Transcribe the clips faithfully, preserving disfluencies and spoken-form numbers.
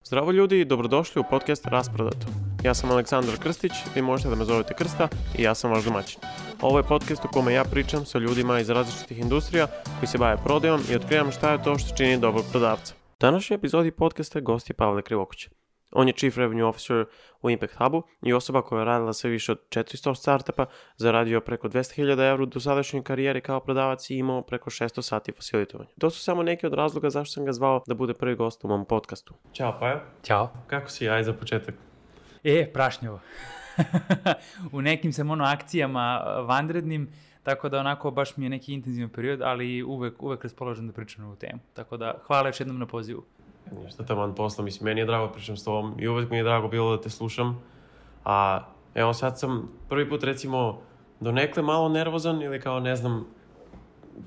Zdravo ljudi i dobrodošli u podcast Rasprodato. Ja sam Aleksandar Krstić, vi možete da me zovete Krsta i ja sam vaš domaćin. Ovo je podcast u kome ja pričam sa ljudima iz različitih industrija koji se bave prodajom i otkrivam šta je to što čini dobrog prodavca. U današnjoj epizodi podcasta gost je Pavle Krivokuća. On je Chief Revenue Officer u Impact Hubu i osoba koja je radila sve više od četiristo startupa, zaradio preko dvesta hiljada evra do sadašnje karijere kao prodavac i imao preko šesto sati facilitovanja. To su samo neki od razloga zašto sam ga zvao da bude prvi gost u mom podcastu. Ćao Paja. Ćao. Kako si, aj za početak? E, prašnjovo. U nekim sam ono akcijama vanrednim, tako da onako baš mi je neki intenzivan period, ali uvek, uvek raspoložen da pričam na ovu temu. Tako da hvala još jednom na pozivu. Ništa taman posla, mislim, meni je drago da pričam s tobom i uvek mi je drago bilo da te slušam. A evo sad sam prvi put recimo donekle malo nervozan ili kao ne znam,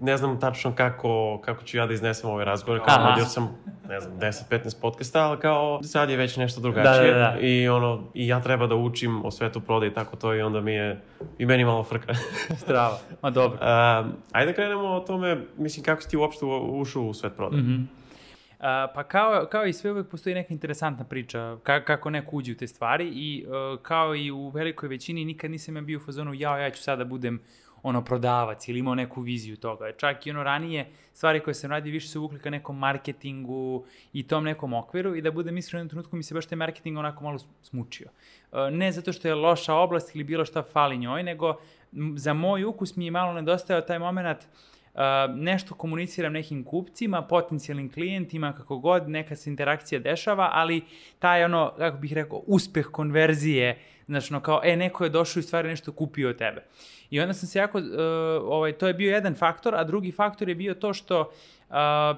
ne znam tačno kako, kako ću ja da iznesem ovaj razgovor. Kao vodio sam, ne znam, deset petnaest podcasta, ali kao sad je već nešto drugačije. Da, da, da. I ono, i ja treba da učim o svetu prodaje i tako to i onda mi je, i meni malo frka. Strava, ma dobro. A, ajde da krenemo o tome, mislim, kako si ti uopšte ušao u svet prodaje. Mm-hmm. Uh, pa kao, kao i sve uvek postoji neka interesantna priča ka, kako neko uđe u te stvari i uh, kao i u velikoj većini nikad nisam ja bio u fazonu jao, ja ću sada budem ono prodavac ili imao neku viziju toga. Čak i ono ranije stvari koje sam radio više su uvukli ka nekom marketingu i tom nekom okviru i da budem iskren u jednom trenutku mi se baš taj marketing onako malo smučio. Uh, ne zato što je loša oblast ili bilo šta fali njoj, nego m, za moj ukus mi je malo nedostajao taj moment. Uh, nešto komuniciram nekim kupcima, potencijalnim klijentima, kako god, neka se interakcija dešava, ali taj ono, kako bih rekao, uspeh konverzije, znači ono kao, e, neko je došao i stvari nešto kupio od tebe. I onda sam se jako, uh, ovaj, to je bio jedan faktor, a drugi faktor je bio to što uh,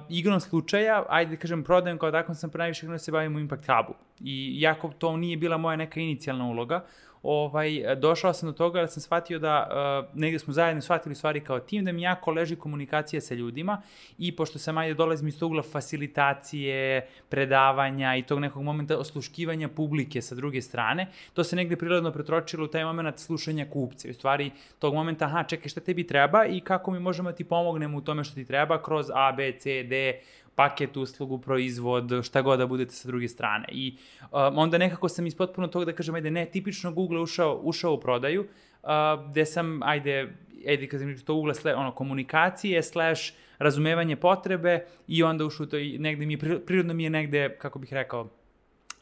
igrom slučaja, ajde da kažem, prodajem kao tako sam najviše da se bavim u Impact Hubu. I jako to nije bila moja neka inicijalna uloga, Ovaj, došao sam do toga da sam shvatio da uh, negdje smo zajedno shvatili stvari kao tim, da mi jako leži komunikacija sa ljudima i pošto sam ajde dolazim iz tog ugla facilitacije, predavanja i tog nekog momenta osluškivanja publike sa druge strane, to se negdje prirodno pretročilo u taj moment slušanja kupca. U stvari tog momenta, aha, čekaj, šta tebi treba i kako mi možemo da ti pomognemo u tome što ti treba kroz A, B, C, D, paket, uslugu, proizvod, šta god da budete sa druge strane. I um, onda nekako sam iz potpuno toga da kažem, ajde, ne, tipično Google ušao, ušao u prodaju, uh, gde sam, ajde, ajde, kad sam to ugla, sle, ono, komunikacije, slash, razumevanje potrebe i onda ušao to i negde mi je, prirodno mi je negde, kako bih rekao,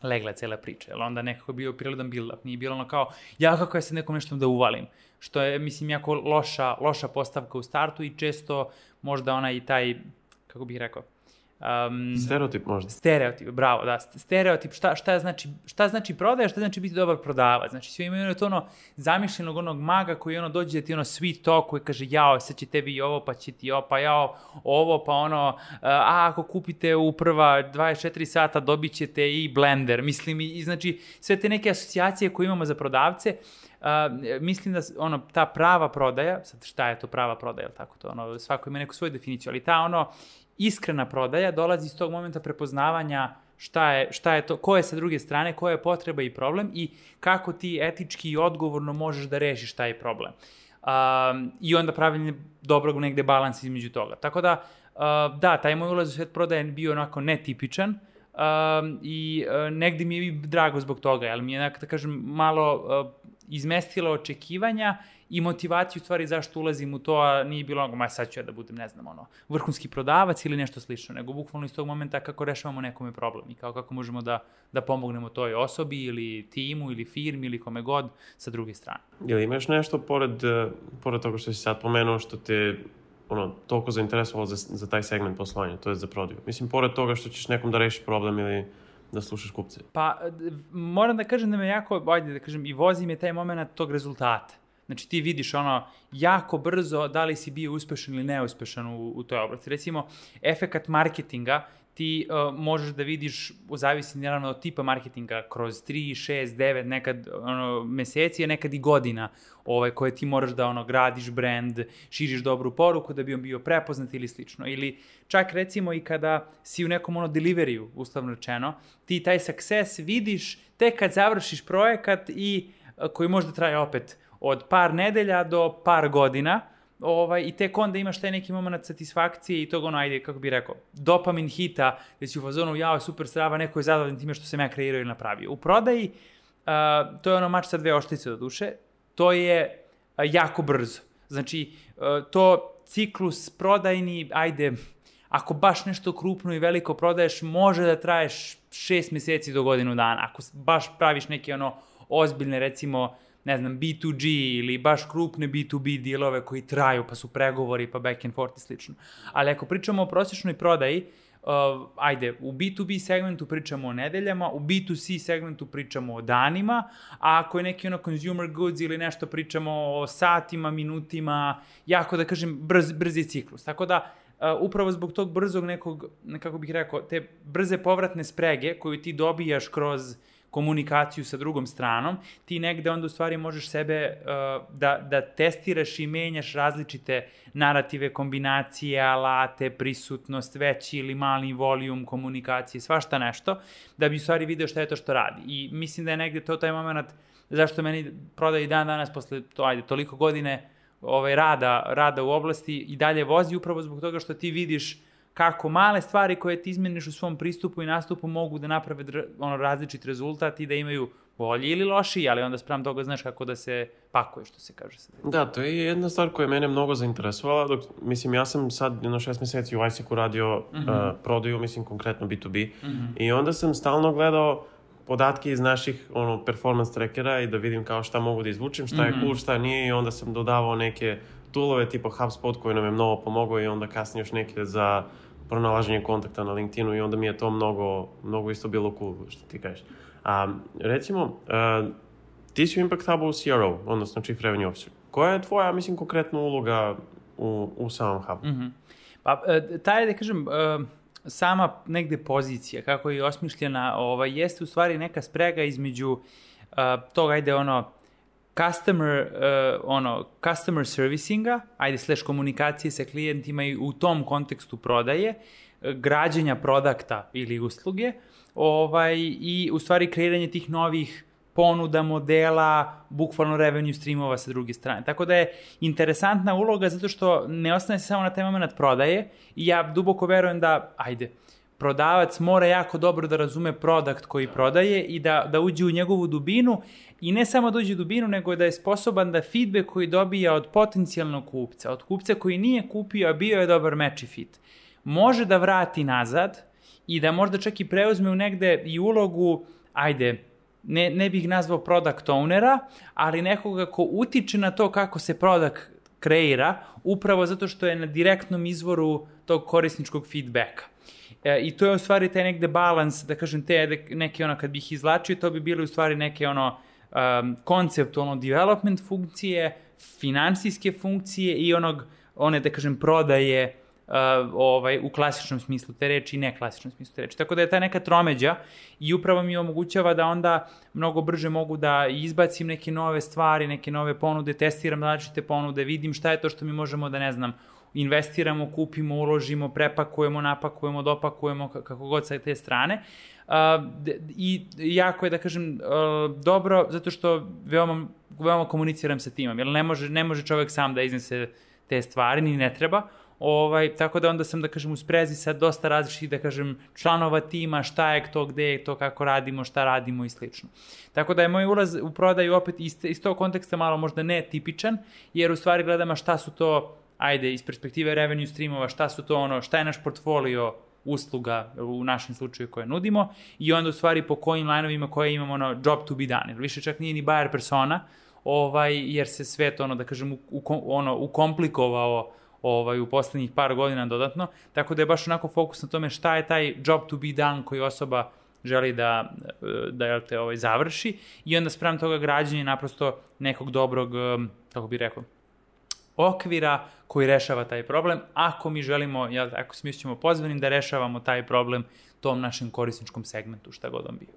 legla cela priča, jer onda nekako je bio prirodan build-up, nije bilo ono kao, ja kako ja sad nekom nešto da uvalim, što je, mislim, jako loša, loša postavka u startu i često možda ona i taj, kako bih rekao, Um, stereotip možda. Stereotip, bravo, da. Stereotip, šta, šta, znači, šta znači prodaja, šta znači biti dobar prodavac. Znači, svi imaju to ono zamišljenog onog maga koji ono dođe da ti ono sweet talk koji kaže jao, sad će tebi i ovo, pa će ti ovo, pa jao, ovo, pa ono, a ako kupite u prva dvadeset četiri sata dobit ćete i blender. Mislim, i znači, sve te neke asocijacije koje imamo za prodavce, Uh, mislim da ono, ta prava prodaja, sad šta je to prava prodaja, tako to, ono, svako ima neku svoju definiciju, ali ta ono, iskrena prodaja dolazi iz tog momenta prepoznavanja šta je, šta je to, ko je sa druge strane, koja je potreba i problem i kako ti etički i odgovorno možeš da rešiš taj problem. Um, I onda pravilno dobrog negde balans između toga. Tako da, uh, da, taj moj ulaz u svet prodaje je bio onako netipičan um, i uh, negde mi je drago zbog toga, ali mi je, da kažem, malo uh, izmestilo očekivanja i motivaciju u stvari zašto ulazim u to, a nije bilo ono, ma sad ću ja da budem, ne znam, ono, vrhunski prodavac ili nešto slično, nego bukvalno iz tog momenta kako rešavamo nekome problem i kao kako možemo da, da pomognemo toj osobi ili timu ili firmi ili kome god sa druge strane. Ili imaš nešto pored, pored toga što si sad pomenuo što te ono, toliko zainteresovalo za, za taj segment poslovanja, to je za prodaju? Mislim, pored toga što ćeš nekom da rešiš problem ili da slušaš kupce? Pa, moram da kažem da me jako, ajde da kažem, i vozi me taj moment tog rezultata. Znači ti vidiš ono jako brzo da li si bio uspešan ili neuspešan u, u toj oblasti. Recimo, efekat marketinga ti uh, možeš da vidiš, zavisi naravno od tipa marketinga, kroz tri, šest, devet, nekad ono, meseci, a nekad i godina ovaj, koje ti moraš da ono, gradiš brand, širiš dobru poruku da bi on bio prepoznat ili slično. Ili čak recimo i kada si u nekom ono deliveriju, uslovno rečeno, ti taj success vidiš tek kad završiš projekat i uh, koji možda traje opet od par nedelja do par godina, ovaj, i tek onda imaš taj neki moment satisfakcije i tog ono, ajde, kako bih rekao, dopamin hita, gde si u fazonu, jao, super strava, neko je zadovoljan time što sam ja kreirao ili napravio. U prodaji, uh, to je ono mač sa dve oštice do duše, to je uh, jako brzo. Znači, uh, to ciklus prodajni, ajde, ako baš nešto krupno i veliko prodaješ, može da traješ šest meseci do godinu dana. Ako baš praviš neke ono ozbiljne, recimo, ne znam, B two G ili baš krupne B two B dealove koji traju, pa su pregovori, pa back and forth i slično. Ali ako pričamo o prosječnoj prodaji, uh, ajde, u B two B segmentu pričamo o nedeljama, u B two C segmentu pričamo o danima, a ako je neki ono consumer goods ili nešto pričamo o satima, minutima, jako da kažem brz, brzi ciklus. Tako da, Uh, upravo zbog tog brzog nekog, kako bih rekao, te brze povratne sprege koju ti dobijaš kroz komunikaciju sa drugom stranom, ti negde onda u stvari možeš sebe uh, da, da testiraš i menjaš različite narative, kombinacije, alate, prisutnost, veći ili mali volijum komunikacije, svašta nešto, da bi u stvari video šta je to što radi. I mislim da je negde to taj moment zašto meni prodaje i dan danas posle to, ajde, toliko godine ovaj, rada, rada u oblasti i dalje vozi upravo zbog toga što ti vidiš kako male stvari koje ti izmeniš u svom pristupu i nastupu mogu da naprave dr, ono, različit rezultat i da imaju bolji ili lošiji, ali onda sprem toga znaš kako da se pakuje, što se kaže. Da, to je jedna stvar koja je mene mnogo zainteresovala. Dok, mislim, ja sam sad jedno šest meseci u I S E C-u radio mm-hmm. uh, prodaju, mislim, konkretno B two B. Mm-hmm. I onda sam stalno gledao podatke iz naših ono, performance trackera i da vidim kao šta mogu da izvučem, šta mm-hmm. je cool, šta nije i onda sam dodavao neke toolove tipa HubSpot koji nam je mnogo pomogao i onda kasnije još neke za pronalaženje kontakta na LinkedInu i onda mi je to mnogo, mnogo isto bilo cool, što ti kažeš. A, recimo, uh, ti si u Impact Hubu C R O, odnosno Chief Revenue Officer. Koja je tvoja, mislim, konkretna uloga u, u samom Hubu? Mm-hmm. Pa, taj, da kažem, uh, sama negde pozicija, kako je osmišljena, ovaj, jeste u stvari neka sprega između uh, toga, ajde, ono, customer, uh, ono, customer servicinga, ajde, slash komunikacije sa klijentima i u tom kontekstu prodaje, građenja produkta ili usluge, ovaj, i u stvari kreiranje tih novih ponuda, modela, bukvalno revenue streamova sa druge strane. Tako da je interesantna uloga zato što ne ostane se samo na taj moment prodaje i ja duboko verujem da, ajde, prodavac mora jako dobro da razume produkt koji prodaje i da, da uđe u njegovu dubinu i ne samo da uđe u dubinu, nego da je sposoban da feedback koji dobija od potencijalnog kupca, od kupca koji nije kupio, a bio je dobar match i fit, može da vrati nazad i da možda čak i preuzme u negde i ulogu, ajde, ne, ne bih nazvao product ownera, ali nekoga ko utiče na to kako se product kreira, upravo zato što je na direktnom izvoru tog korisničkog feedbacka. E, I to je u stvari taj negde balans, da kažem, te neke ono, kad bih izlačio, to bi bile u stvari neke ono, um, konceptualno development funkcije, finansijske funkcije i onog, one, da kažem, prodaje Uh, ovaj, u klasičnom smislu te reči i neklasičnom smislu te reči. Tako da je ta neka tromeđa i upravo mi omogućava da onda mnogo brže mogu da izbacim neke nove stvari, neke nove ponude, testiram različite ponude, vidim šta je to što mi možemo da, ne znam, investiramo, kupimo, uložimo, prepakujemo, napakujemo, dopakujemo, kako god sa te strane. Uh, I jako je, da kažem, uh, dobro, zato što veoma, veoma komuniciram sa timom, jer ne može, ne može čovek sam da iznese te stvari, ni ne treba. Ovaj, tako da onda sam, da kažem, u sprezi sa dosta različitih, da kažem, članova tima, šta je to, gde je to, kako radimo, šta radimo i slično. Tako da je moj ulaz u prodaju opet iz, iz tog konteksta malo možda netipičan, jer u stvari gledamo šta su to, ajde, iz perspektive revenue streamova, šta su to ono, šta je naš portfolio usluga u našem slučaju koje nudimo i onda u stvari po kojim lineovima koje imamo ono job to be done. Jer više čak nije ni buyer persona, ovaj, jer se svet, ono, da kažem, u, u, ono, ukomplikovao ovaj, u poslednjih par godina dodatno, tako da je baš onako fokus na tome šta je taj job to be done koji osoba želi da, da jel te, ovaj, završi i onda sprem toga građenja naprosto nekog dobrog, kako bih rekao, okvira koji rešava taj problem, ako mi želimo, jel, ako se mi ćemo pozvanim da rešavamo taj problem tom našem korisničkom segmentu, šta god on bio.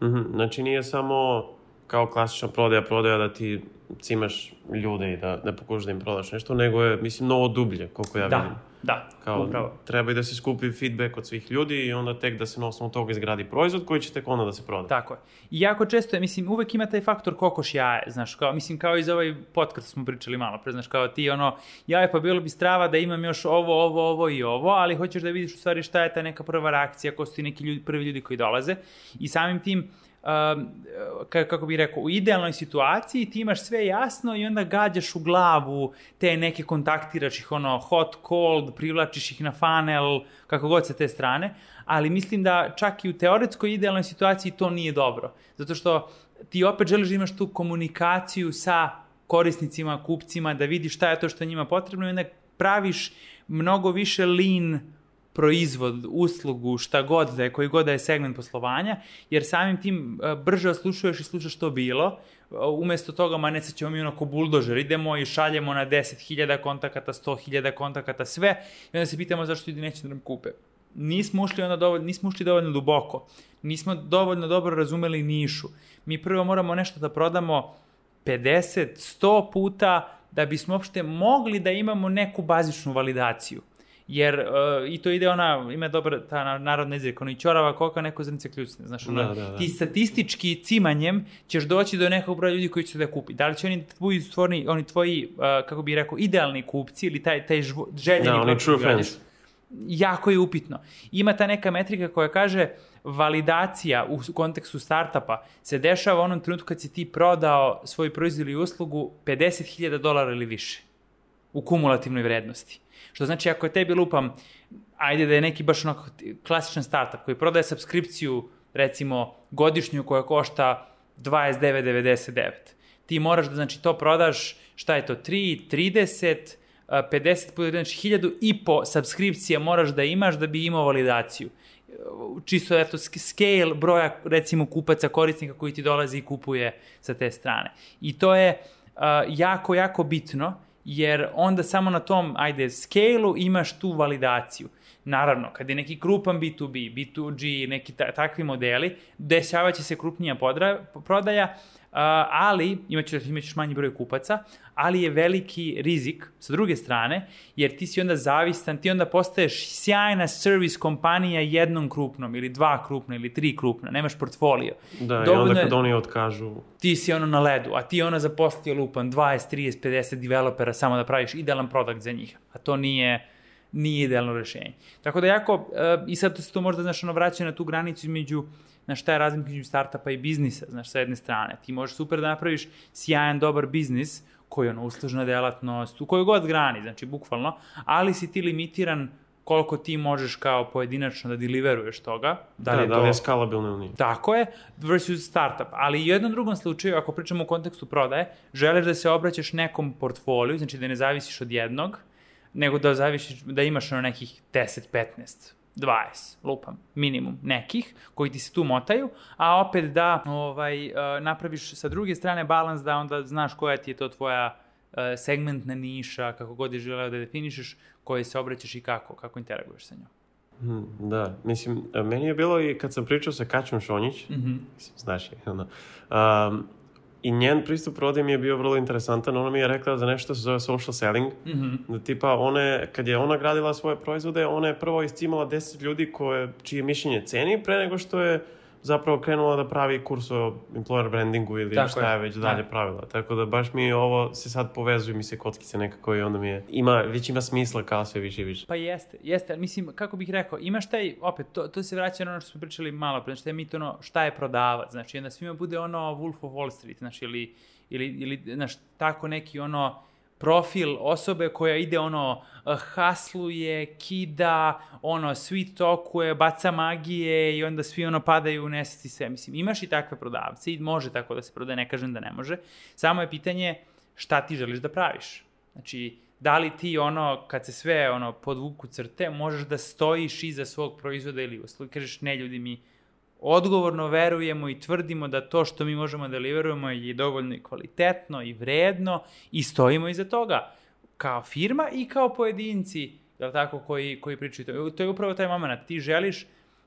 Mm-hmm. Znači nije samo kao klasična prodaja, prodaja da ti cimaš ljude i da, da pokušaš da im prodaš nešto, nego je, mislim, mnogo dublje, koliko ja da. vidim. Da, Kao, upravo. Treba i da se skupi feedback od svih ljudi i onda tek da se na osnovu toga izgradi proizvod koji će tek onda da se proda. Tako je. I jako često je, mislim, uvek ima taj faktor kokoš jaje, znaš, kao, mislim, kao i za ovaj podcast smo pričali malo pre, znaš, kao ti, ono, jaje, pa bilo bi strava da imam još ovo, ovo, ovo i ovo, ali hoćeš da vidiš u stvari šta je ta neka prva reakcija, ko su ti neki ljudi, prvi ljudi koji dolaze i samim tim, Um, kako bih rekao, u idealnoj situaciji ti imaš sve jasno i onda gađaš u glavu te neke, kontaktiraš ih, ono, hot, cold, privlačiš ih na funnel, kako god sa te strane, ali mislim da čak i u teoretskoj idealnoj situaciji to nije dobro, zato što ti opet želiš da imaš tu komunikaciju sa korisnicima, kupcima, da vidiš šta je to što je njima potrebno i onda praviš mnogo više lean proizvod, uslugu, šta god da je, koji god da je segment poslovanja, jer samim tim brže oslušuješ i slušaš što bilo, umesto toga, ma ne sad ćemo mi onako buldožer, idemo i šaljemo na deset hiljada kontakata, sto hiljada kontakata, sve, i onda se pitamo zašto ljudi neće da nam kupe. Nismo ušli, onda dovoljno, nismo ušli dovoljno duboko, nismo dovoljno dobro razumeli nišu. Mi prvo moramo nešto da prodamo pedeset, sto puta da bismo uopšte mogli da imamo neku bazičnu validaciju. Jer uh, i to ide ona, ima dobra ta narodna izreka, ono i ćorava koka, neko zrnce kljucne, znaš, ono, da, da, da. Ti statistički cimanjem ćeš doći do nekog broja ljudi koji će da kupi. Da li će oni tvoji stvorni, oni tvoji, uh, kako bih rekao, idealni kupci ili taj, taj žvo, željeni da, oni true fans. Jako je upitno. Ima ta neka metrika koja kaže validacija u kontekstu startupa se dešava u onom trenutku kad si ti prodao svoj proizvod ili uslugu pedeset hiljada dolara ili više u kumulativnoj vrednosti. Što znači, ako je tebi lupam, ajde da je neki baš onako klasičan startup koji prodaje subskripciju, recimo, godišnju koja košta dvadeset devet devedeset devet. Ti moraš da, znači, to prodaš, šta je to, tri, trideset, pedeset, znači hiljadu i po subskripcije moraš da imaš da bi imao validaciju. Čisto, eto, scale broja, recimo, kupaca, korisnika koji ti dolazi i kupuje sa te strane. I to je uh, jako, jako bitno, jer onda samo na tom, ajde, scale-u imaš tu validaciju. Naravno, kad je neki krupan bi tu bi, bi tu ge, neki ta, takvi modeli, dešavaće se krupnija podra, prodaja, uh, ali, imaćeš, imaćeš manji broj kupaca, ali je veliki rizik, sa druge strane, jer ti si onda zavistan, ti onda postaješ sjajna service kompanija jednom krupnom, ili dva krupna, ili tri krupna, nemaš portfolio. Da, dovoljno i onda kad oni otkažu... Ti si ono na ledu, a ti ono zaposlio lupan dvadeset, trideset, pedeset developera samo da praviš idealan produkt za njih, a to nije... nije idealno rešenje. Tako da jako, uh, i sad to se to možda, znaš, ono, vraća na tu granicu između, znaš, šta je razlika između startupa i biznisa, znaš, sa jedne strane. Ti možeš super da napraviš sjajan, dobar biznis, koji je ono, uslužna delatnost, u kojoj god grani, znači, bukvalno, ali si ti limitiran koliko ti možeš kao pojedinačno da deliveruješ toga. Da, da li je, da li je skalabilno ili nije. Tako je, versus startup. Ali u jednom drugom slučaju, ako pričamo u kontekstu prodaje, želiš da se obraćaš nekom portfoliju, znači da ne zavisiš od jednog, nego da zavisiš, da imaš na nekih deset, petnaest, dvadeset, lupam, minimum nekih, koji ti se tu motaju, a opet da ovaj, napraviš sa druge strane balans, da onda znaš koja ti je to tvoja segmentna niša, kako god je želeo da definišeš, koje se obraćaš i kako, kako interaguješ sa njom. Hmm, da, mislim, meni je bilo i kad sam pričao sa Kaćom Šonjić, mm-hmm. mislim, znaš je, ono, um, i njen pristup prodaji mi je bio vrlo interesantan. Ona mi je rekla za nešto se zove social selling. Mm-hmm. Da tipa, one, kad je ona gradila svoje proizvode, ona je prvo iscimala deset ljudi koje, čije mišljenje ceni, pre nego što je zapravo krenula da pravi kurs o employer brandingu ili tako šta je već dalje da. pravila. Tako da baš mi ovo se sad povezuju mi se kockice nekako i onda mi je, ima, već ima smisla kao sve više i više. Pa jeste, jeste, mislim, kako bih rekao, imaš taj, opet, to, to se vraća na ono što smo pričali malo pre, šta je mit ono, šta je prodavac, znači onda svima bude ono Wolf of Wall Street, znači ili, ili, ili znaš, tako neki ono, profil osobe koja ide ono, hasluje, kida, ono, sweet talkuje, baca magije i onda svi ono padaju u nesvesti sve. Mislim, imaš i takve prodavce i može tako da se prodaje, ne kažem da ne može. Samo je pitanje šta ti želiš da praviš. Znači, da li ti ono, kad se sve ono podvuku crte, možeš da stojiš iza svog proizvoda ili usluge, kažeš ne ljudi mi odgovorno verujemo i tvrdimo da to što mi možemo da deliverujemo je dovoljno i kvalitetno i vredno i stojimo iza toga kao firma i kao pojedinci, jel tako, koji, koji pričaju to. To je upravo taj moment. Ti želiš,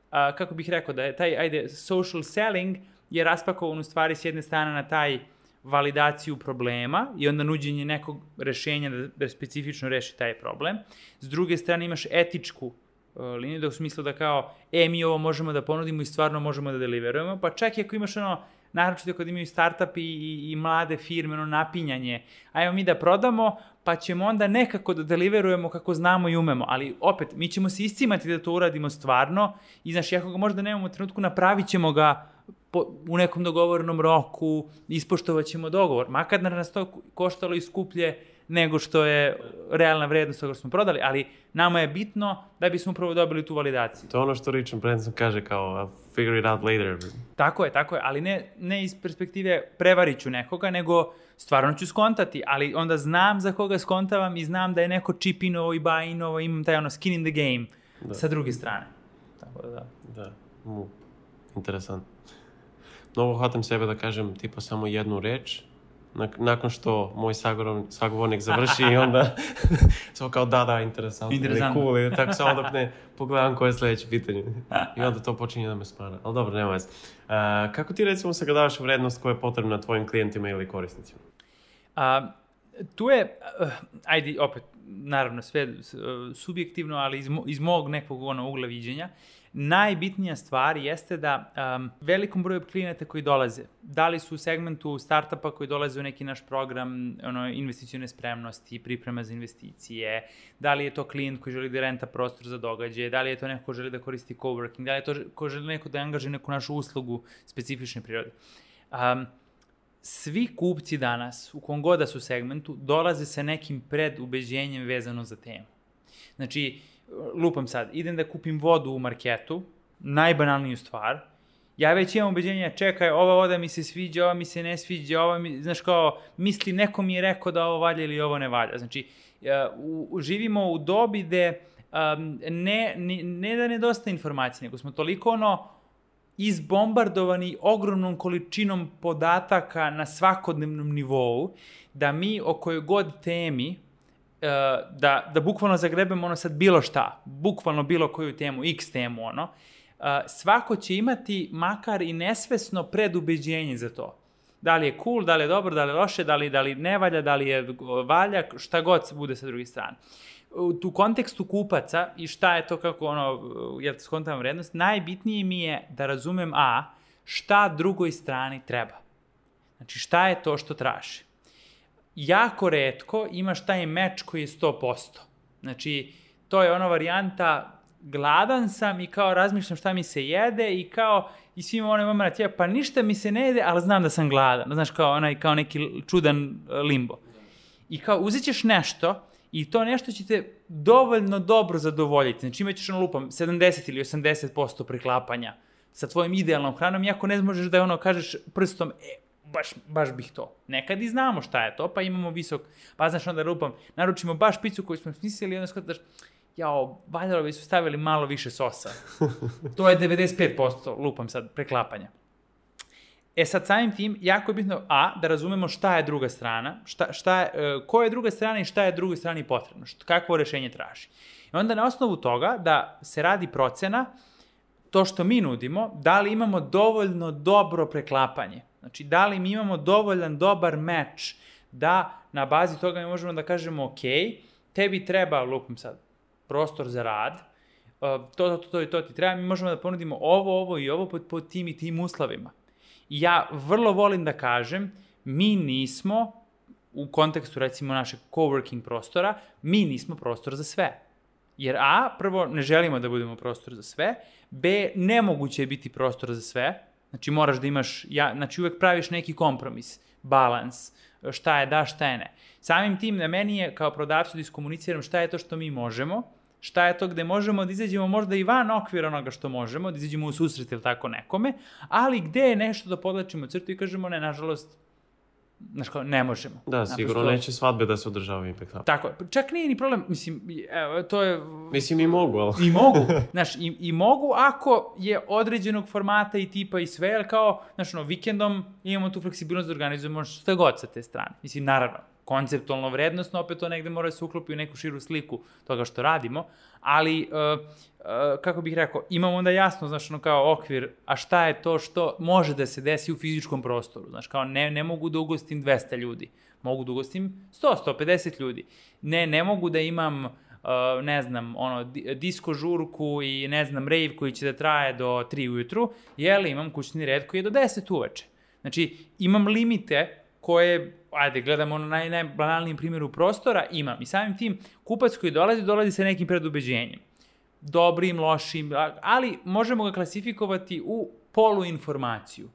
a, kako bih rekao, da je taj, ajde, social selling je raspakovan u stvari s jedne strane na taj validaciju problema i onda nuđenje nekog rešenja da, da specifično reši taj problem. S druge strane imaš etičku uh, liniju, da u smislu da kao, e, mi ovo možemo da ponudimo i stvarno možemo da deliverujemo, pa čak i ako imaš ono, naročito kad imaju startup i, i, i mlade firme, ono napinjanje, ajmo mi da prodamo, pa ćemo onda nekako da deliverujemo kako znamo i umemo, ali opet, mi ćemo se iscimati da to uradimo stvarno i znaš, ako ga možda nemamo u trenutku, napravit ćemo ga po, u nekom dogovorenom roku, ispoštovat ćemo dogovor, makar nas to koštalo i skuplje nego što je realna vrednost toga što smo prodali, ali nama je bitno da bismo upravo dobili tu validaciju. To je ono što Richard Branson kaže kao I'll figure it out later. Tako je, tako je, ali ne, ne iz perspektive prevarit ću nekoga, nego stvarno ću skontati, ali onda znam za koga skontavam i znam da je neko chip-inovo i buy-inovo, imam taj ono skin in the game da. Sa druge strane. Tako da, da. Da, mu, interesant. Mnogo hvatam sebe da kažem tipa samo jednu reč, nakon što moj sagovornik završi i onda samo kao da, da, interesantno, interesantno. Cool, i tako samo dok ne pogledam koje je sljedeće pitanje. I onda to počinje da me smara. Ali dobro, nema veze. Uh, kako ti recimo sagledavaš vrednost koja je potrebna tvojim klijentima ili korisnicima? Uh, tu je, uh, ajde, opet, naravno, sve uh, subjektivno, ali iz, iz mog nekog ono, ugla viđenja, najbitnija stvar jeste da um, velikom broju klijenata koji dolaze, da li su u segmentu startupa koji dolaze u neki naš program ono, investicione spremnosti, priprema za investicije, da li je to klijent koji želi da renta prostor za događaje, da li je to neko ko želi da koristi coworking, da li je to ko želi neko da angažuje neku našu uslugu specifične prirode. Um, svi kupci danas, u kom god da su segmentu, dolaze sa nekim predubeđenjem vezano za temu. Znači, lupam sad, idem da kupim vodu u marketu, najbanalniju stvar, ja već imam ubeđenja, čekaj, ova voda mi se sviđa, ova mi se ne sviđa, ova mi, znaš kao, misli, neko mi je rekao da ovo valja ili ovo ne valja. Znači, uh, u, živimo u dobi gde um, ne, ne, ne da nedostaje informacije, nego smo toliko ono izbombardovani ogromnom količinom podataka na svakodnevnom nivou, da mi o kojoj god temi da, da bukvalno zagrebemo ono sad bilo šta, bukvalno bilo koju temu, x temu, ono, svako će imati makar i nesvesno predubeđenje za to. Da li je cool, da li je dobro, da li je loše, da li, da li ne valja, da li je valja, šta god se bude sa druge strane. U tu kontekstu kupaca i šta je to kako ono, jel te skontavam vrednost, najbitnije mi je da razumem a, šta drugoj strani treba. Znači šta je to što traži. Jako retko imaš taj meč koji je sto posto. Znači, to je ona varijanta, gladan sam i kao razmišljam šta mi se jede i kao, i svima onaj moment, ja, pa ništa mi se ne jede, ali znam da sam gladan. Znaš, kao, onaj, kao neki čudan limbo. I kao, uzet ćeš nešto i to nešto će te dovoljno dobro zadovoljiti. Znači, imat ćeš ono lupam sedamdeset ili osamdeset posto preklapanja sa tvojim idealnom hranom, iako ne možeš da ono kažeš prstom, e, Baš, baš bih to. Nekad i znamo šta je to, pa imamo visok, pa znaš onda lupam, naručimo baš picu koju smo smislili i onda skotaš, jao, valjalo bi su stavili malo više sosa. To je devedeset pet posto, lupam sad, preklapanja. E sad samim tim, jako je bitno, a, da razumemo šta je druga strana, šta, šta je, ko je druga strana i šta je drugoj strani potrebno, šta, kakvo rešenje traži. I onda na osnovu toga da se radi procena, to što mi nudimo, da li imamo dovoljno dobro preklapanje. Znači, da li mi imamo dovoljan dobar meč da na bazi toga mi možemo da kažemo ok, tebi treba, lupam sad, prostor za rad, to, to, to i to ti treba, mi možemo da ponudimo ovo, ovo i ovo pod, pod tim i tim uslovima. I ja vrlo volim da kažem, mi nismo, u kontekstu recimo našeg coworking prostora, mi nismo prostor za sve. Jer a, prvo, ne želimo da budemo prostor za sve, b, nemoguće je biti prostor za sve, znači moraš da imaš, ja, znači uvek praviš neki kompromis, balans, šta je da, šta je ne. Samim tim na meni je kao prodavcu da iskomuniciram šta je to što mi možemo, šta je to gde možemo da izađemo možda i van okvira onoga što možemo, da izađemo u susret ili tako nekome, ali gde je nešto da podlačimo crtu i kažemo ne, nažalost, znaš kao, ne možemo. Da, sigurno naprosto neće svadbe da se održavaju ipak tako. Tako, čak nije ni problem, mislim, evo, to je... Mislim i mogu, ali... I mogu, znaš, i, i mogu ako je određenog formata i tipa i sve, ali kao, znaš, ono, vikendom imamo tu fleksibilnost da organizujemo što god sa te strane. Mislim, naravno, konceptualno vrednostno, opet to negde mora da se uklopi u neku širu sliku toga što radimo, ali, uh, uh, kako bih rekao, imamo onda jasno, znaš, ono kao okvir, a šta je to što može da se desi u fizičkom prostoru, znaš, kao ne, ne mogu da ugostim dvesta ljudi, mogu da ugostim sto do sto pedeset ljudi, ne, ne mogu da imam, uh, ne znam, ono, disko žurku i, ne znam, rave koji će da traje do tri ujutru, jel, imam kućni red koji je do deset uveče. Znači, imam limite koje, ajde, gledamo na naj, najbanalnijem primjeru prostora, imam. I samim tim, kupac koji dolazi, dolazi sa nekim predubeđenjem. Dobrim, lošim, ali možemo ga klasifikovati u poluinformaciju.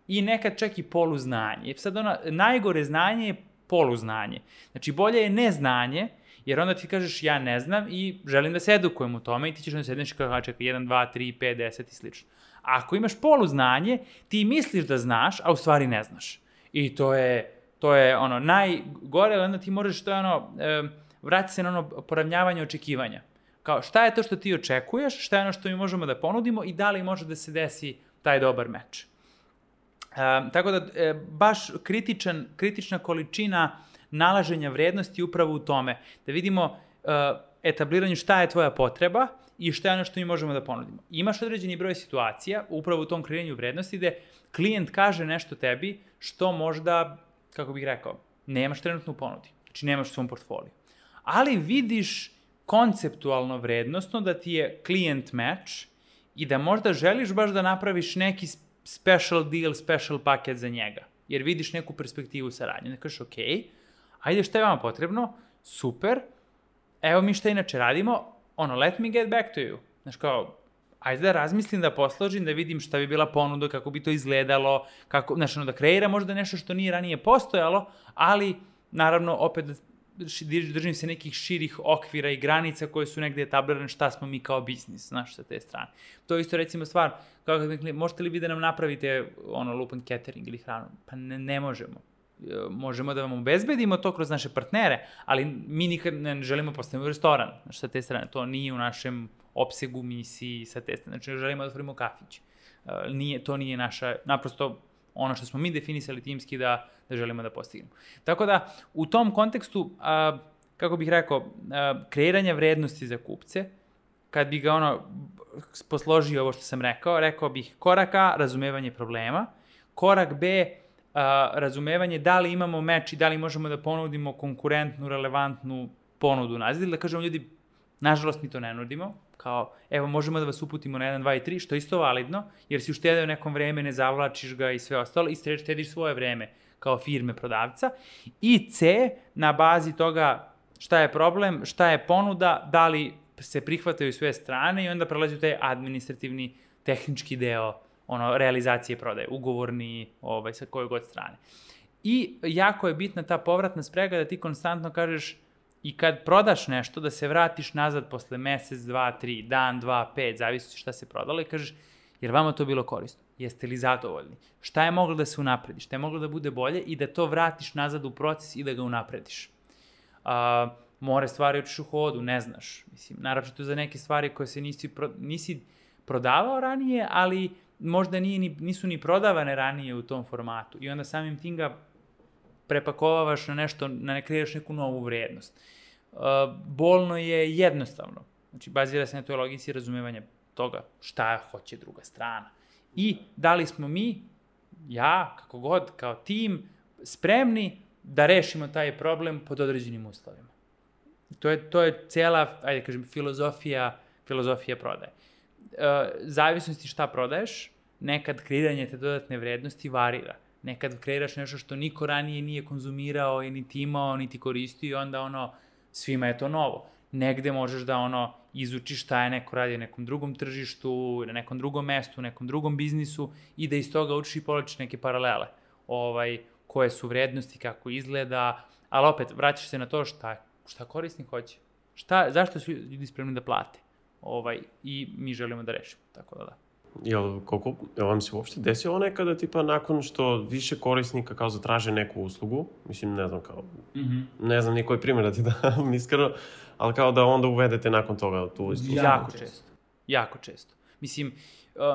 I nekad čak i poluznanje. Sad ono, najgore znanje je poluznanje. Znači, bolje je neznanje, jer onda ti kažeš ja ne znam i želim da se edukujem u tome i ti ćeš da sedneš kao čekaj jedan, dva, tri, pet, deset i slično. Ako imaš poluznanje, ti misliš da znaš, a u stvari ne znaš. I to je, to je ono, najgore, onda ti možeš, to je ono, e, vrati se na ono poravnjavanje očekivanja. Kao, šta je to što ti očekuješ, šta je ono što mi možemo da ponudimo i da li može da se desi taj dobar meč. E, tako da, e, baš kritičan, kritična količina nalaženja vrednosti upravo u tome. Da vidimo e, etabliranju šta je tvoja potreba i šta je ono što mi možemo da ponudimo. Imaš određeni broj situacija, upravo u tom kreiranju vrednosti, gde klijent kaže nešto tebi što možda, kako bih rekao, nemaš trenutno u ponudi. Znači nemaš u svom portfoliju. Ali vidiš konceptualno vrednostno da ti je klijent match i da možda želiš baš da napraviš neki special deal, special paket za njega. Jer vidiš neku perspektivu saradnje. Ne kažeš, ok, ajde šta je vama potrebno, super, evo mi šta inače radimo, ono, let me get back to you. Znaš kao, ajde da razmislim, da posložim, da vidim šta bi bila ponuda, kako bi to izgledalo, kako, znaš, ono, da kreira možda nešto što nije ranije postojalo, ali, naravno, opet držim se nekih širih okvira i granica koje su negde etablirane šta smo mi kao biznis, znaš, sa te strane. To je isto, recimo, stvar, kao kad mi, možete li vi da nam napravite, ono, lupan catering ili hranu? Pa ne, ne možemo. Možemo da vam obezbedimo to kroz naše partnere, ali mi nikad ne želimo postaviti restoran, znači sa te strane, to nije u našem opsegu, misiji, sa te strane, znači želimo da otvorimo kafić. Nije, to nije naša, naprosto ono što smo mi definisali timski da, da želimo da postignemo. Tako da, u tom kontekstu, a, kako bih rekao, a, kreiranje vrednosti za kupce, kad bi ga ono posložio ovo što sam rekao, rekao bih korak A, razumevanje problema, korak B, Uh, razumevanje da li imamo meč i da li možemo da ponudimo konkurentnu, relevantnu ponudu nazad, ili da kažemo ljudi, nažalost mi to ne nudimo, kao evo možemo da vas uputimo na jedan, dva i tri, što je isto validno, jer si uštedeo nekom vreme, ne zavlačiš ga i sve ostalo, i štediš svoje vreme kao firme prodavca. I C, na bazi toga šta je problem, šta je ponuda, da li se prihvataju sve strane i onda prelazi u taj administrativni, tehnički deo ono, realizacije prodaje, ugovorni, ovaj, sa koje god strane. I jako je bitna ta povratna sprega da ti konstantno kažeš i kad prodaš nešto, da se vratiš nazad posle mesec, dva, tri, dan, dva, pet, zavisi šta se prodalo i kažeš, jer vama to bilo korisno? Jeste li zadovoljni? Šta je moglo da se unapredi? Šta je moglo da bude bolje? I da to vratiš nazad u proces i da ga unaprediš. A, more stvari učiš u hodu, ne znaš. Mislim, naravno za neke stvari koje se nisi, pro, nisi prodavao ranije, ali možda nije ni, nisu ni prodavane ranije u tom formatu i onda samim tim ga prepakovavaš na nešto, na ne kreiraš neku novu vrednost. Uh, bolno je jednostavno. Znači, bazira se na toj logici razumevanja toga šta hoće druga strana. I da li smo mi, ja, kako god, kao tim, spremni da rešimo taj problem pod određenim uslovima. To je, to je cijela, ajde kažem, filozofija, filozofija prodaje. Uh, zavisnosti šta prodaješ, nekad kreiranje te dodatne vrednosti varira. Nekad kreiraš nešto što niko ranije nije konzumirao i niti imao, niti koristio i onda ono, svima je to novo. Negde možeš da ono, izučiš šta je neko radi na nekom drugom tržištu, na nekom drugom mestu, nekom drugom biznisu i da iz toga učiš i povlačiš neke paralele. Ovaj, koje su vrednosti, kako izgleda, ali opet vraćaš se na to šta, šta korisnik hoće. Šta, zašto su ljudi spremni da plate? Ovaj, i mi želimo da rešimo, tako da da. Jel, koliko, jel vam se uopšte desilo nekada, tipa, nakon što više korisnika kao zatraže neku uslugu, mislim, ne znam, kao, mm-hmm. ne znam nikoj primjer da ti dam iskreno, ali kao da onda uvedete nakon toga tu uslugu? Jako često, jako često. Mislim,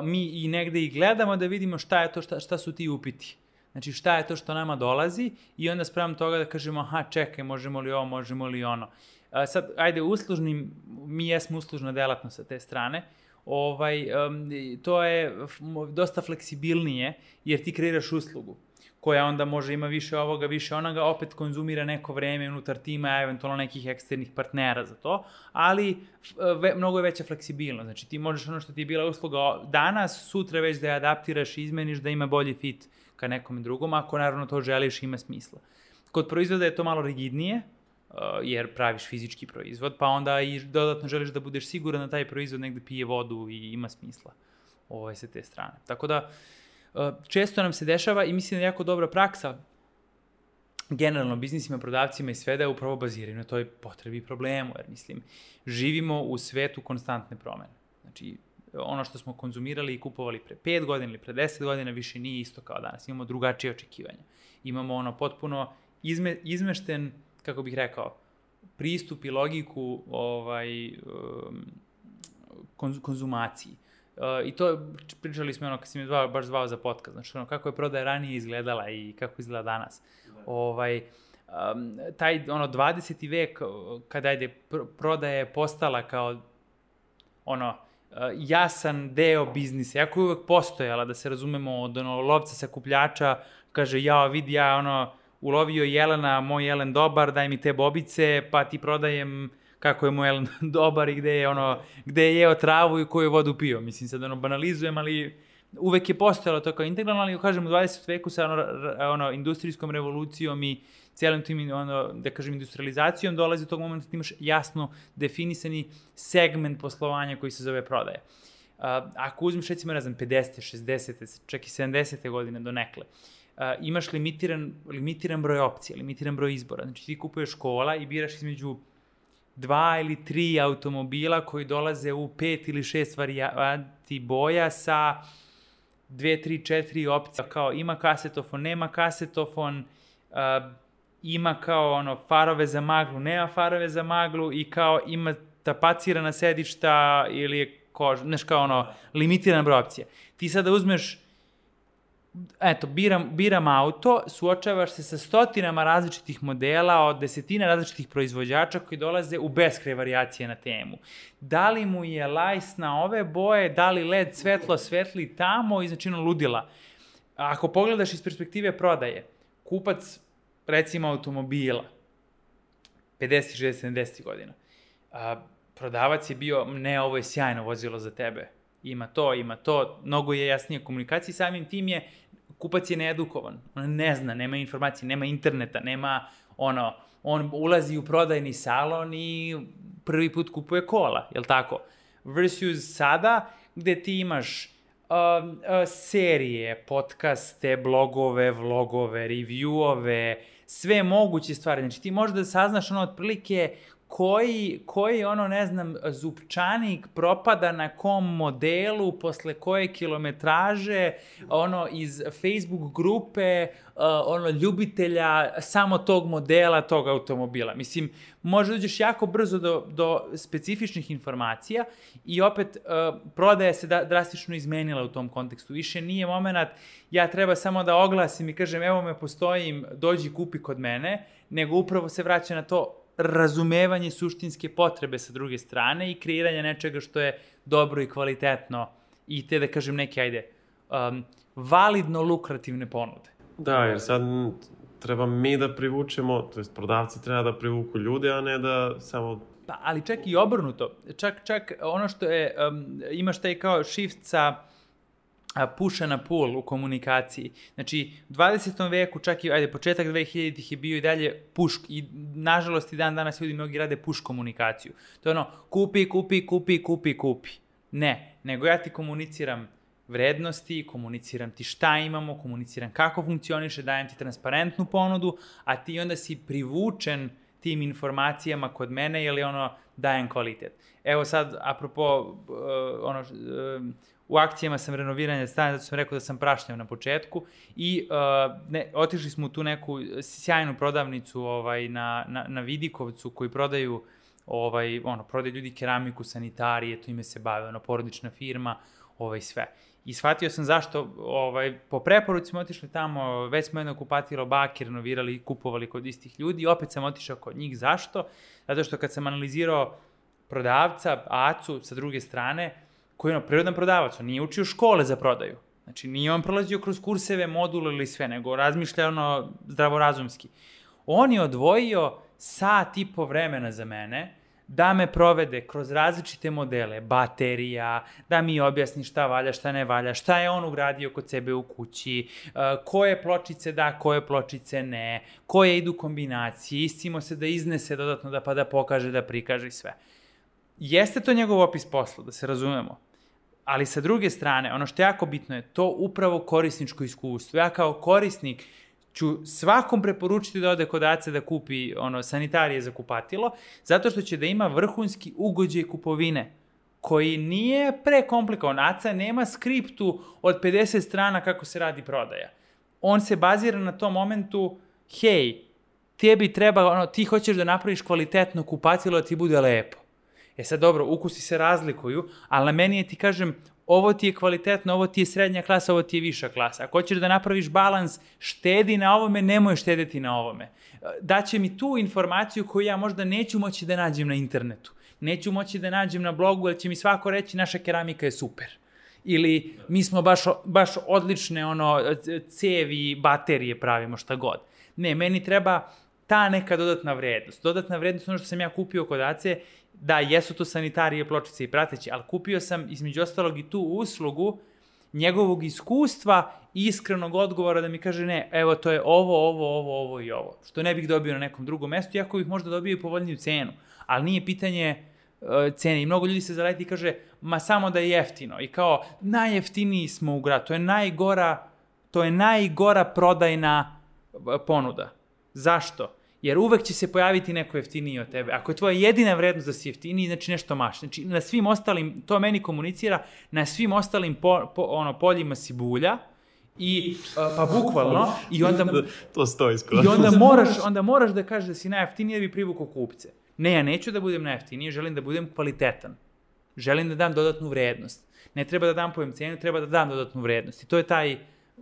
mi i negde i gledamo da vidimo šta je to, šta, šta su ti upiti. Znači šta je to što nama dolazi i onda sprem toga da kažemo aha čekaj možemo li ovo, možemo li ono. A sad ajde uslužnim, mi jesmo uslužna delatnost sa te strane, ovaj, um, to je dosta fleksibilnije jer ti kreiraš uslugu koja onda može ima više ovoga, više onoga, opet konzumira neko vreme unutar tima, eventualno nekih eksternih partnera za to, ali ve, mnogo je veća fleksibilnost. Znači ti možeš ono što ti je bila usluga danas, sutra već da je adaptiraš i izmeniš da ima bolji fit ka nekom drugom, ako naravno to želiš ima smisla. Kod proizvoda je to malo rigidnije, jer praviš fizički proizvod, pa onda i dodatno želiš da budeš siguran da taj proizvod negde pije vodu i ima smisla ovaj, sa te strane. Tako da, često nam se dešava i mislim da je jako dobra praksa generalno biznisima, prodavcima i sve da je upravo bazirano na toj potrebi i problemu, jer mislim, živimo u svetu konstantne promene. Znači, ono što smo konzumirali i kupovali pre pet godina ili pre deset godina više nije isto kao danas. Imamo drugačije očekivanja. Imamo ono potpuno izme, izmešten, kako bih rekao, pristup i logiku ovaj, konz, konzumaciji. Uh, I to pričali smo ono kad si mi zvao, baš zvao za podcast, znači ono kako je prodaja ranije izgledala i kako izgleda danas. Da. Ovaj, um, taj ono dvadeseti vek kada je pr prodaja je postala kao ono uh, jasan deo biznisa, jako je uvek postojala da se razumemo od ono lovca sakupljača, kaže ja vidi ja ono ulovio jelena, moj jelen dobar, daj mi te bobice, pa ti prodajem kako je moj jelen dobar i gde je, ono, gde je jeo travu i koju vodu pio. Mislim, sad ono, banalizujem, ali uvek je postojalo to kao integralno, ali kažem, u dvadesetom veku sa ono, ono, industrijskom revolucijom i cijelim tim, ono, da kažem, industrializacijom dolazi do tog momenta da imaš jasno definisani segment poslovanja koji se zove prodaja. Uh, ako uzmeš, recimo, ne znam, pedesete, šezdesete, čak i sedamdesete godine do nekle, Uh, imaš limitiran, limitiran broj opcija, limitiran broj izbora. Znači ti kupuješ kola i biraš između dva ili tri automobila koji dolaze u pet ili šest varijanti boja sa dve, tri, četiri opcije. Kao ima kasetofon, nema kasetofon, uh, ima kao ono farove za maglu, nema farove za maglu i kao ima tapacirana sedišta ili je koža, znaš kao ono limitiran broj opcija. Ti sada uzmeš eto, biram, biram auto, suočavaš se sa stotinama različitih modela od desetina različitih proizvođača koji dolaze u beskraj varijacije na temu. Da li mu je lajs na ove boje, da li led svetlo svetli tamo i znači ono ludila. Ako pogledaš iz perspektive prodaje, kupac recimo automobila pedeset, šezdeset, sedamdeset godina, a, prodavac je bio, ne, ovo je sjajno vozilo za tebe, ima to, ima to, mnogo je jasnije komunikacije, samim tim je, kupac je needukovan, on ne zna, nema informacije, nema interneta, nema ono, on ulazi u prodajni salon i prvi put kupuje kola, jel tako? Versus sada, gde ti imaš uh, uh, serije, podcaste, blogove, vlogove, reviewove, sve moguće stvari, znači ti možeš da saznaš ono otprilike koji, koji ono, ne znam, zupčanik propada na kom modelu, posle koje kilometraže, ono, iz Facebook grupe, uh, ono, ljubitelja samo tog modela, tog automobila. Mislim, možda uđeš jako brzo do, do specifičnih informacija i opet uh, prodaja se da, drastično izmenila u tom kontekstu. Više nije moment, ja treba samo da oglasim i kažem, evo me postojim, dođi kupi kod mene, nego upravo se vraća na to razumevanje suštinske potrebe sa druge strane i kreiranje nečega što je dobro i kvalitetno i te, da kažem, neke, ajde, um, validno lukrativne ponude. Da, jer sad treba mi da privučemo, to jest prodavci treba da privuku ljude, a ne da samo... Pa, ali čak i obrnuto. Čak, čak ono što je, um, imaš taj kao shift sa puša na pull u komunikaciji. Znači, u dvadesetom veku, čak i, ajde, početak dve hiljaditih je bio i dalje push, i nažalost i dan danas ljudi mnogi rade push komunikaciju. To je ono, kupi, kupi, kupi, kupi, kupi. Ne, nego ja ti komuniciram vrednosti, komuniciram ti šta imamo, komuniciram kako funkcioniše, dajem ti transparentnu ponudu, a ti onda si privučen tim informacijama kod mene, jer je ono, dajem kvalitet. Evo sad, apropo, uh, ono, uh, u akcijama sam renoviranja stana, zato sam rekao da sam prašnjav na početku i uh, ne, otišli smo u tu neku sjajnu prodavnicu ovaj, na, na, na Vidikovcu koji prodaju, ovaj, ono, prodaju ljudi keramiku, sanitarije, to ime se bave, ono, porodična firma, ovaj, sve. I shvatio sam zašto, ovaj, po preporuci smo otišli tamo, već smo jedno kupatilo bake renovirali i kupovali kod istih ljudi i opet sam otišao kod njih. Zašto? Zato što kad sam analizirao prodavca, Acu, sa druge strane, koji je ono prirodan prodavac, on nije učio škole za prodaju. Znači, nije on prolazio kroz kurseve, module ili sve, nego razmišlja ono zdravorazumski. On je odvojio sat i po vremena za mene, da me provede kroz različite modele, baterija, da mi objasni šta valja, šta ne valja, šta je on ugradio kod sebe u kući, koje pločice da, koje pločice ne, koje idu kombinacije, istimo se da iznese dodatno da pa da pokaže, da prikaže i sve. Jeste to njegov opis posla, da se razumemo, ali sa druge strane, ono što je jako bitno je to upravo korisničko iskustvo. Ja kao korisnik ću svakom preporučiti da ode kod Ace da kupi ono, sanitarije za kupatilo, zato što će da ima vrhunski ugođaj kupovine, koji nije prekomplikovan. Aca nema skriptu od pedeset strana kako se radi prodaja. On se bazira na tom momentu, hej, tebi treba, ono, ti hoćeš da napraviš kvalitetno kupatilo da ti bude lepo. E sad dobro, ukusi se razlikuju, ali na meni je ti kažem, ovo ti je kvalitetno, ovo ti je srednja klasa, ovo ti je viša klasa. Ako hoćeš da napraviš balans, štedi na ovome, nemoj štedeti na ovome. Daće mi tu informaciju koju ja možda neću moći da nađem na internetu. Neću moći da nađem na blogu, jer će mi svako reći naša keramika je super. Ili mi smo baš, baš odlične ono, cevi, baterije pravimo, šta god. Ne, meni treba ta neka dodatna vrednost. Dodatna vrednost, ono što sam ja kupio kod Ace, da, jesu to sanitarije, pločice i prateći, ali kupio sam između ostalog i tu uslugu njegovog iskustva i iskrenog odgovora da mi kaže ne, evo to je ovo, ovo, ovo, ovo i ovo. Što ne bih dobio na nekom drugom mestu, iako bih možda dobio i povoljniju cenu. Ali nije pitanje uh, cene. I mnogo ljudi se zaleti i kaže, ma samo da je jeftino. I kao, najjeftiniji smo u gradu. To je najgora, to je najgora prodajna ponuda. Zašto? Jer uvek će se pojaviti neko jeftiniji od tebe. Ako je tvoja jedina vrednost da si jeftiniji, znači nešto maš. Znači, na svim ostalim, to meni komunicira, na svim ostalim po, po, ono, poljima si bulja, i, uh, pa bukvalno, i onda, to stoji skoro. I onda moraš, onda moraš da kažeš da si najjeftiniji da bi privukao kupce. Ne, ja neću da budem najjeftiniji, želim da budem kvalitetan. Želim da dam dodatnu vrednost. Ne treba da dam pojem cenu, treba da dam dodatnu vrednost. I to je taj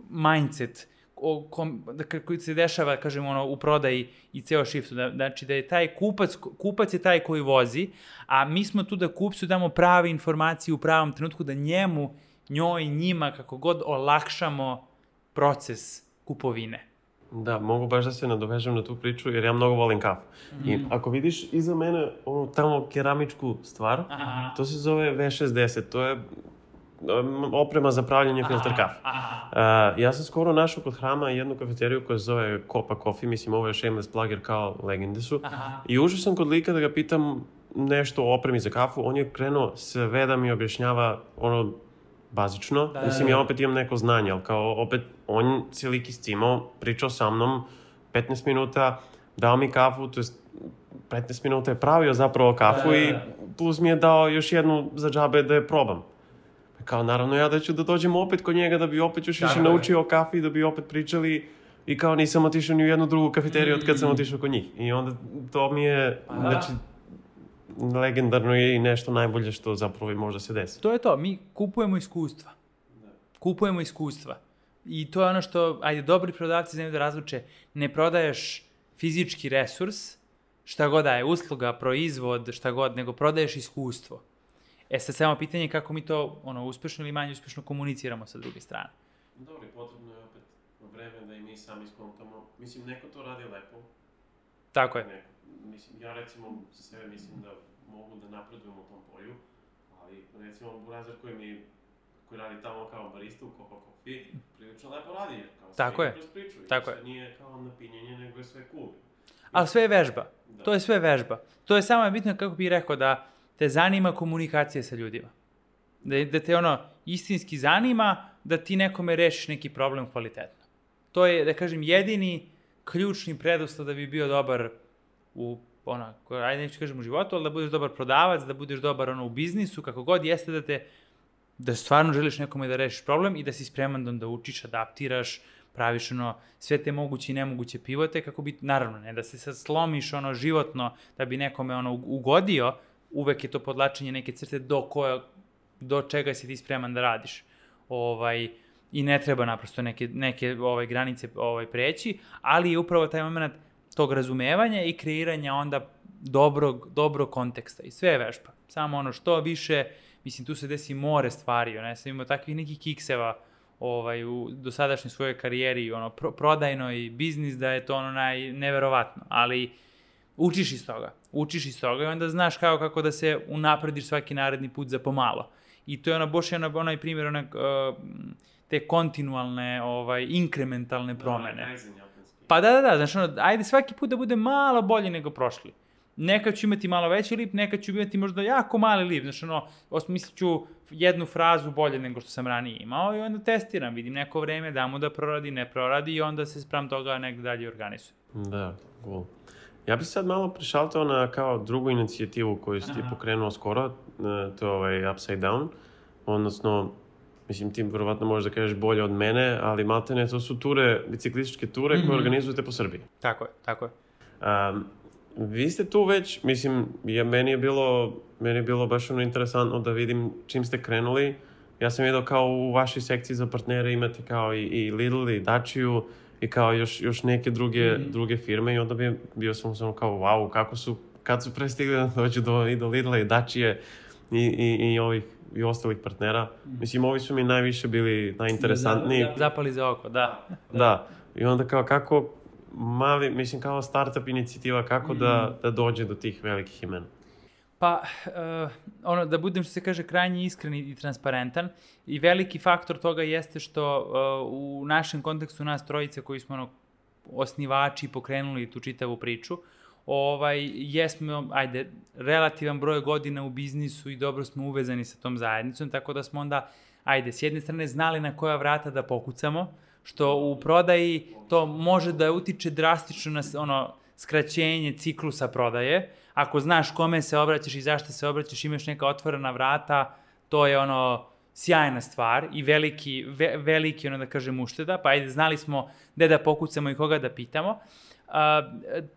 mindset o kom, da, koji se dešava, kažemo, ono, u prodaji i ceo shiftu. Da, znači da je taj kupac, kupac je taj koji vozi, a mi smo tu da kupcu damo prave informacije u pravom trenutku, da njemu, njoj, njima, kako god olakšamo proces kupovine. Da, mogu baš da se nadovežem na tu priču, jer ja mnogo volim kafu. Mm. I ako vidiš iza mene onu tamo keramičku stvar, aha, to se zove V šezdeset, to je oprema za pravljanje filter kafe. Uh, ja sam skoro našao kod Hrama jednu kafeteriju koja se zove Copa Coffee, mislim ovo je shameless plug jer kao legende su. Aha. I ušao sam kod lika da ga pitam nešto o opremi za kafu, on je krenuo sve da mi objašnjava ono bazično. Da, mislim, ja opet imam neko znanje, ali kao opet on se lik iscimao, pričao sa mnom petnaest minuta, dao mi kafu, to je petnaest minuta je pravio zapravo kafu, da, i plus mi je dao još jednu za džabe da je probam. Kao, naravno, ja da ću da dođem opet kod njega, da bi opet još više naučio o kafi, da bi opet pričali, i kao nisam otišao ni u jednu drugu kafeteriju od kad sam otišao kod njih. I onda to mi je, pa, znači, legendarno je i nešto najbolje što zapravo možda se desi. To je to, mi kupujemo iskustva. Da. Kupujemo iskustva. I to je ono što, ajde, dobri prodavci znaju da razluče, ne prodaješ fizički resurs, šta god da je, usluga, proizvod, šta god, nego prodaješ iskustvo. E sad samo pitanje je kako mi to ono, uspešno ili manje uspešno komuniciramo sa druge strane. Dobro, potrebno je opet vreme da i mi sami skontamo. Mislim, neko to radi lepo. Tako je. Neko. Mislim, ja recimo za sebe mislim da mogu da napredujem u tom polju, ali recimo Burazer koji mi koji radi tamo kao barista u Copa Coffee, prilično lepo radi, jer kao tako je. Kroz priču. Tako je. Nije kao napinjenje, nego je sve cool. Ali sve je vežba. Da. To je sve vežba. To je samo bitno, kako bih rekao, da te zanima komunikacija sa ljudima. Da, da te ono istinski zanima da ti nekome rešiš neki problem kvalitetno. To je, da kažem, jedini ključni preduslov da bi bio dobar u, ono, ajde neću kažem u životu, ali da budeš dobar prodavac, da budeš dobar ono, u biznisu, kako god jeste da te, da stvarno želiš nekome da rešiš problem i da si spreman da, da učiš, adaptiraš, praviš ono, sve te moguće i nemoguće pivote, kako bi, naravno, ne da se sad slomiš ono, životno da bi nekome ono, ugodio, uvek je to podlačenje neke crte do, koja, do čega si ti spreman da radiš. ovaj, i ne treba naprosto neke, neke ovaj, granice ovaj, preći, ali je upravo taj moment tog razumevanja i kreiranja onda dobrog, dobrog konteksta i sve je vežba. Samo ono što više, mislim, tu se desi more stvari, ono, ja sam imao takvih nekih kikseva ovaj, u dosadašnjoj svojoj karijeri, ono, pro, prodajno i biznis, da je to ono naj, neverovatno, ali učiš iz toga, učiš iz toga i onda znaš kao kako da se unaprediš svaki naredni put za pomalo. I to je ono, boš je ono, onaj primjer, ono, uh, te kontinualne, ovaj, inkrementalne promene. Pa da, da, da, znači ono, ajde svaki put da bude malo bolje nego prošli. Nekad ću imati malo veći lip, nekad ću imati možda jako mali lip, znači ono, osmislit ću jednu frazu bolje nego što sam ranije imao i onda testiram, vidim neko vreme, da mu da proradi, ne proradi i onda se sprem toga negdje dalje organizuje. Da, cool. Ja bih sad malo prišaltao na kao drugu inicijativu koju si ti pokrenuo skoro, to je ovaj Upside Down, odnosno, mislim, ti vjerovatno možeš da kažeš bolje od mene, ali maltene to su ture, biciklističke ture koje mm-hmm. organizujete po Srbiji. Tako je, tako je. Um, vi ste tu već, mislim, je, meni, je bilo, meni je bilo baš ono interesantno da vidim čim ste krenuli. Ja sam vidio kao u vašoj sekciji za partnere imate kao i, i Lidl i Dačiju i kao još, još neke druge, mm-hmm. druge firme i onda bi, bio sam samo kao wow, kako su, kad su prestigli da dođu do, i do Lidla i Dačije i, i, i ovih i ostalih partnera. Mm. Mislim, ovi su mi najviše bili najinteresantniji. Zapali za oko, da. Da. I onda kao kako mali, mislim, kao startup inicijativa, kako mm. da, da dođe do tih velikih imena? Pa, uh, ono, da budem, što se kaže, krajnje iskren i transparentan i veliki faktor toga jeste što uh, u našem kontekstu nas trojice koji smo ono, osnivači i pokrenuli tu čitavu priču, ovaj, jesmo, ajde, relativan broj godina u biznisu i dobro smo uvezani sa tom zajednicom, tako da smo onda, ajde, s jedne strane znali na koja vrata da pokucamo, što u prodaji to može da utiče drastično na ono, skraćenje ciklusa prodaje. Ako znaš kome se obraćaš i zašto se obraćaš, imaš neka otvorena vrata, to je ono sjajna stvar i veliki, ve, veliki ono da kažem ušteda, pa ajde, znali smo gde da pokucamo i koga da pitamo. Uh,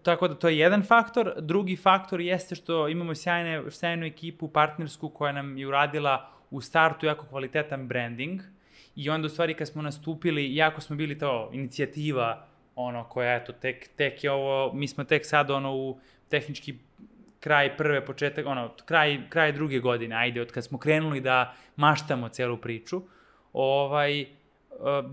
tako da to je jedan faktor. Drugi faktor jeste što imamo sjajne, sjajnu ekipu partnersku koja nam je uradila u startu jako kvalitetan branding i onda u stvari kad smo nastupili, jako smo bili to inicijativa ono koja eto tek, tek je ovo, mi smo tek sad ono u tehnički kraj prve početak, ono kraj, kraj druge godine, ajde od kad smo krenuli da maštamo celu priču, ovaj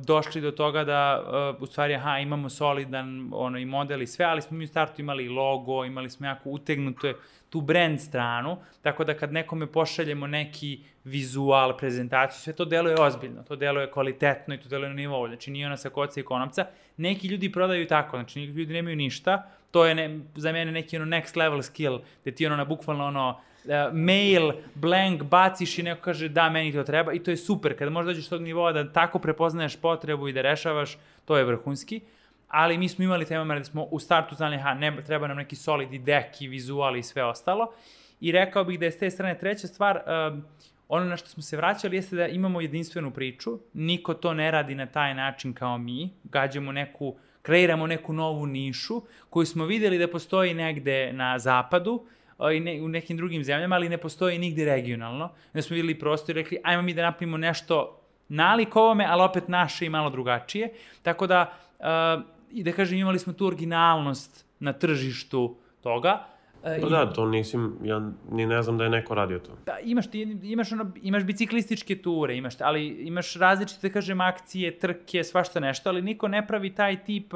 došli do toga da u stvari aha, imamo solidan ono, i model i sve, ali smo mi u startu imali logo, imali smo jako utegnutu tu brand stranu, tako da kad nekome pošaljemo neki vizual, prezentaciju, sve to deluje ozbiljno, to deluje kvalitetno i to deluje na nivou, znači nije ona sa koca i konopca. Neki ljudi prodaju tako, znači neki ljudi nemaju ništa, to je ne, za mene neki ono next level skill, gde ti ono na bukvalno ono Uh, mail, blank, baciš i neko kaže da, meni to treba i to je super. Kada možeš dođeš do tog nivoa da tako prepoznaješ potrebu i da rešavaš, to je vrhunski. Ali mi smo imali taj moment da smo u startu znali, ha, ne, treba nam neki solid i deck i vizual i sve ostalo. I rekao bih da je s te strane treća stvar, uh, ono na što smo se vraćali jeste da imamo jedinstvenu priču. Niko to ne radi na taj način kao mi. Gađamo neku, kreiramo neku novu nišu koju smo videli da postoji negde na zapadu, i ne, u nekim drugim zemljama, ali ne postoji nigde regionalno. Da smo videli prostor i rekli, ajmo mi da napravimo nešto nalik ovome, ali opet naše i malo drugačije. Tako da, uh, i da kažem, imali smo tu originalnost na tržištu toga. Uh, pa da, to nisam, ja ni ne znam da je neko radio to. Da, imaš, ti, imaš, ono, imaš biciklističke ture, imaš, ali imaš različite, da kažem, akcije, trke, svašta nešto, ali niko ne pravi taj tip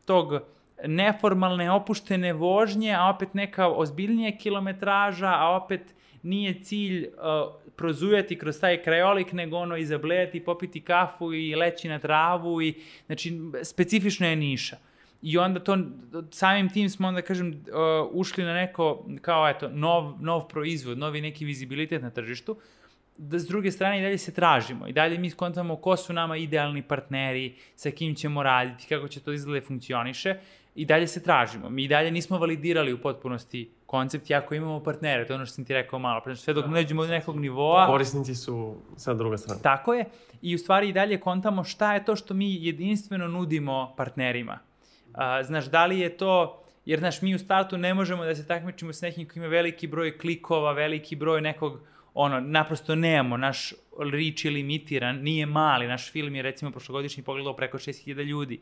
tog neformalne, opuštene vožnje, a opet neka ozbiljnija kilometraža, a opet nije cilj uh, prozujati kroz taj krajolik, nego ono izablejati, popiti kafu i leći na travu i, znači, specifična je niša. I onda to, samim tim smo onda, kažem, uh, ušli na neko, kao eto, nov, nov proizvod, novi neki vizibilitet na tržištu, da s druge strane i dalje se tražimo i dalje mi skontamo ko su nama idealni partneri, sa kim ćemo raditi, kako će to izgleda funkcioniše i dalje se tražimo. Mi i dalje nismo validirali u potpunosti koncept, jako imamo partnere, to je ono što sam ti rekao malo, znači sve dok ne dođemo do nekog nivoa. Korisnici su sa druga strana. Tako je i u stvari i dalje kontamo šta je to što mi jedinstveno nudimo partnerima. A, znaš, da li je to, jer znaš, mi u startu ne možemo da se takmičimo s nekim koji ima veliki broj klikova, veliki broj nekog ono, naprosto nemamo, naš reach je limitiran, nije mali, naš film je recimo prošlogodišnji pogledao preko šest hiljada ljudi,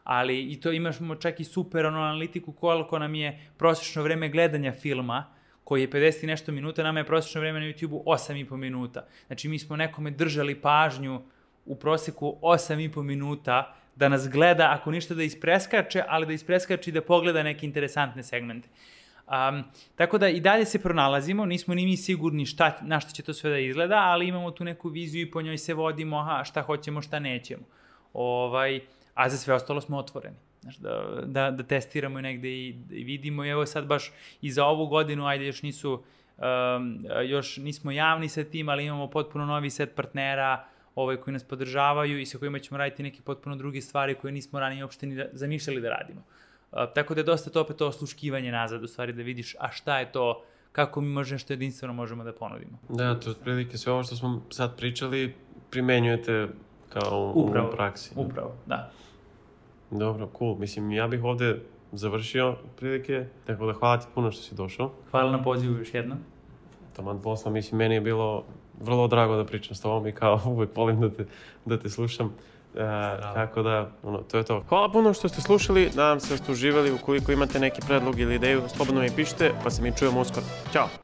ali i to imamo čak i super ono, analitiku koliko nam je prosječno vreme gledanja filma, koji je pedeset i nešto minuta, nama je prosječno vreme na YouTube-u osam i po minuta. Znači mi smo nekome držali pažnju u proseku osam i po minuta da nas gleda, ako ništa da ispreskače, ali da ispreskače i da pogleda neke interesantne segmente. Um, tako da i dalje se pronalazimo, nismo ni mi sigurni šta, na šta će to sve da izgleda, ali imamo tu neku viziju i po njoj se vodimo, aha, šta hoćemo, šta nećemo. Ovaj, a za sve ostalo smo otvoreni. Znaš, da, da, da testiramo i negde i, i vidimo. I evo sad baš i za ovu godinu, ajde još nisu, um, još nismo javni sa tim, ali imamo potpuno novi set partnera ovaj, koji nas podržavaju i sa kojima ćemo raditi neke potpuno druge stvari koje nismo ranije uopšte ni da, zamišljali da radimo. Uh, tako da je dosta to opet to osluškivanje nazad, u stvari da vidiš a šta je to, kako mi možemo što jedinstveno možemo da ponudimo. Da, to je otprilike sve ovo što smo sad pričali, primenjujete kao upravo, u praksi. Upravo, da. Dobro, cool. Mislim, ja bih ovde završio prilike, tako da hvala ti puno što si došao. Hvala na pozivu još jednom. Taman posla, mislim, meni je bilo vrlo drago da pričam s tobom i kao uvek volim da te, da te slušam. E, tako da, ono, to je to. Hvala puno što ste slušali, nadam se da ste uživali. Ukoliko imate neki predlog ili ideju, slobodno mi pišite, pa se mi čujemo uskoro. Ćao!